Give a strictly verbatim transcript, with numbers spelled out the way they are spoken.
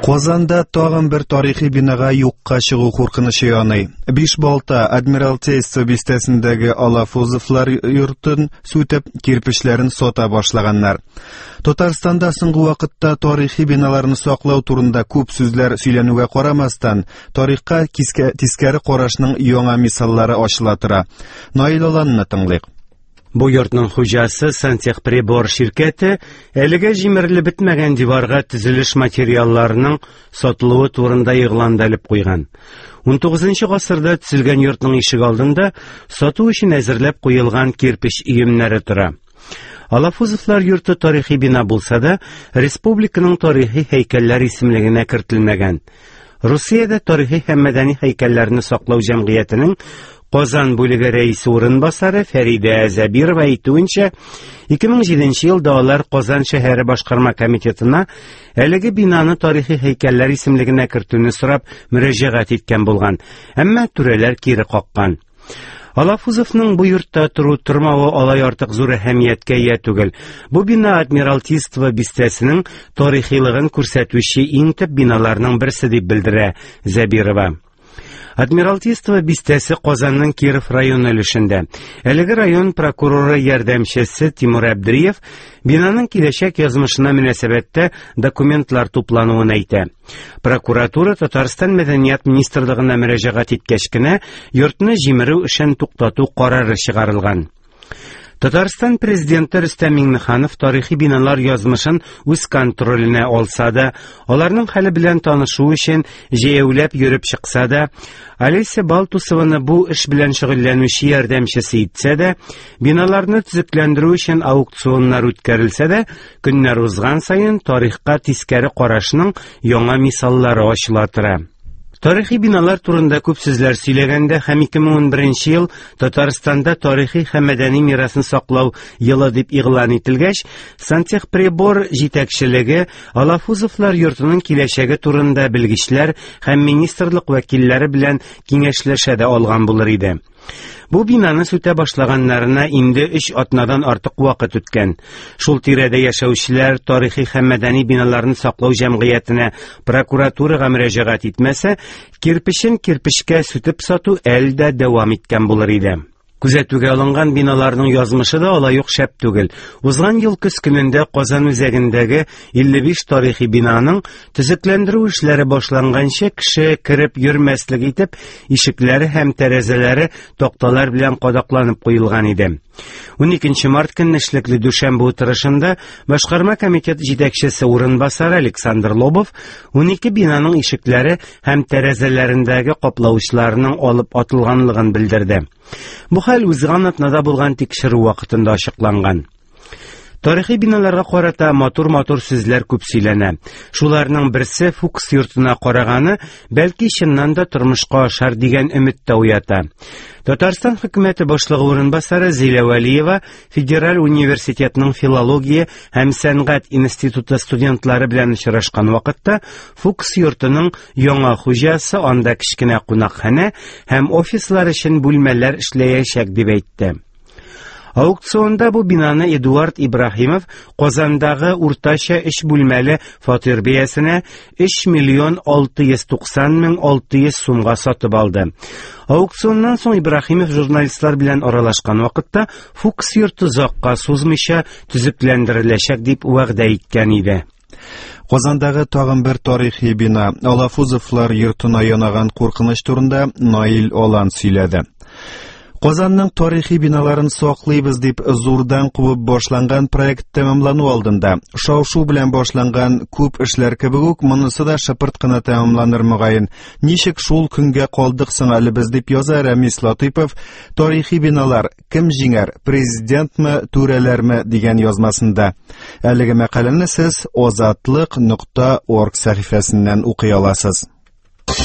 Казанда тагын бер тарихи бинага юкка чыгу куркынычы яный. Бишбалта Адмиралтейство бистәсендәге Алафузовлар йортын сүтеп, кирпечләрен сата башлаганнар. Татарстанда соңгы вакытта тарихи биналарны саклау турында күп сүзләр сөйләнүгә карамастан, тарихка тискәре карашның яңа мисаллары ачыла тора. Наил Аланны тыңлыйк. Бу йортның хуҗасы Сантехприбор ширкәте әлегә җимерелеп бетмәгән диварга төзелеш материалларының сатылуы турында игълан да элеп куйган. Унтугызынчы гасырда төзелгән йортның ишек алдында сату өчен әзерләп куелган кирпеч өемнәре тора. Алафузовлар йорты тарихи бина булса да, республиканың тарихи һәйкәлләр исемлегенә кертелмәгән. Русиядә тарихи һәм мәдәни һәйкәлләрне саклау җәмгыятенең Казан бүлеге рәисе урынбасары Фәридә Зәбирова әйтүенчә, ике мең җиденче елда алар Казан шәһәре башкарма комитетына әлеге бинаны тарихи һәйкәлләр исемлегенә кертүне сорап мөрәҗәгать иткән булган, әмма түрәләр кире каккан. Алафузовның бу йортта тору тормавы алай артык зур әһәмияткә ия түгел. Бу бина Адмиралтейство бистәсенең тарихилыгын күрсәтүче иң төп биналарның берсе дип белдерә Зәбирова. Адмиралтейство бистәсе Казанның Киров районы өлешендә. Әлеге район прокуроры ярдәмчесе Тимур Әбдриев бинаның киләчәк язмышына мөнәсәбәттә документлар туплануын әйтә. Прокуратура Татарстан Мәдәният министрлыгына мөрәҗәгать иткәч кенә йортны җимерү эшен туктату карары чыгарылган. Татарстан президенты Рөстәм Миңнеханов тарихи биналар язмышын үз контроленә алса да, аларның хәле белән танышу өчен җәяүләп йөреп чыкса да, Олеся Балтусованы бу эш белән шөгыльләнүче ярдәмчесе итсә дә, биналарны төзекләндерү өчен аукционнар үткәрелсә дә, көннәр узган саен тарихка тискәре карашның яңа мисаллары ачыла тора. Тарихи биналар турында күп сүзләр сөйләгәндә һәм ике мең унберенче ел Татарстанда тарихи һәм мәдәни мирасны саклау елы дип игълан ителгәч, Сантехприбор җитәкчелеге Алафузовлар йортының киләчәге турында белгечләр һәм министрлык вәкилләре белән киңәшләшә дә алган булыр иде. Бу бинаны сүтә башлаганнарына инде өч атнадан артык вакыт үткән. Шул тирәдә яшәүчеләр тарихи һәм мәдәни биналарны саклау җәмгыятенә прокуратурага мөрәҗәгать итмәсә, кирпечен кирпечкә сүтеп сату әле дә дәвам иткән булыр иде. Күзәтүгә алынган биналарның язмышы да алай ук шәп түгел. Узган ел көз көнендә Казан үзәгендәге илле биш тарихи бинаның төзекләндерү эшләре башланганчы кеше кереп йөрмәслек итеп ишекләре һәм тәрәзәләре такталар белән кадакланып куелган иде. Уникенче март көнне эшлекле дүшәмбе утырышында башкарма комитет җитәкчесе урынбасары Александр Лобов унике бинаның ишекләре һәм тәрәзәләрендәге каплавычларының алып атылганлыгын белдерде. Бу хәл узган атнада булган тикшерү вакытында ачыкланган. Тарихи биналарга карата матур-матур сүзләр күп сөйләнә. Шуларның берсе Фукс йортына караганы, бәлки чыннан да тормышка ашар дигән өмет тә уята. Татарстан хөкүмәте башлыгы урынбасары Зилә Вәлиева Федераль университетның филология һәм сәнгать институты студентлары белән очрашкан вакытта Фукс йортының яңа хуҗасы анда кечкенә кунакханә һәм офислар өчен бүлмәләр эшләячәк дип әйтте. Аукционда бу бинаны Эдуард Ибраһимов Казандагы уртача өч бүлмәле фатир бәясенә өч миллион алты йөз туксан мең алты йөз сумга сатып алды. Аукционнан соң Ибраһимов журналистлар белән аралашкан вакытта Фукс йорты озакка сузмыйча төзекләндереләчәк дип вәгъдә иткән иде. Казандагы тагын бер тарихи бина Алафузовлар йортына янаган куркыныч турында Наил Алан сөйләде. Казанның тарихи биналарын саклыйбыз дип зурдан кубып башланган проект тәмамлану алдында. Шау-шу белән башланган күп эшләр кебек үк монысы да шыпырт кына тәмамланыр мөгаен. Ничек шул көнгә калдык соң әле без дип яза Рәмис Латыйпов. Тарихи биналар кем җиңәр, президентмы, түрәләрме дигән язмасында. Әлеге мәкаләне сез озатлык нокта орг сәхифәсеннән укый аласыз.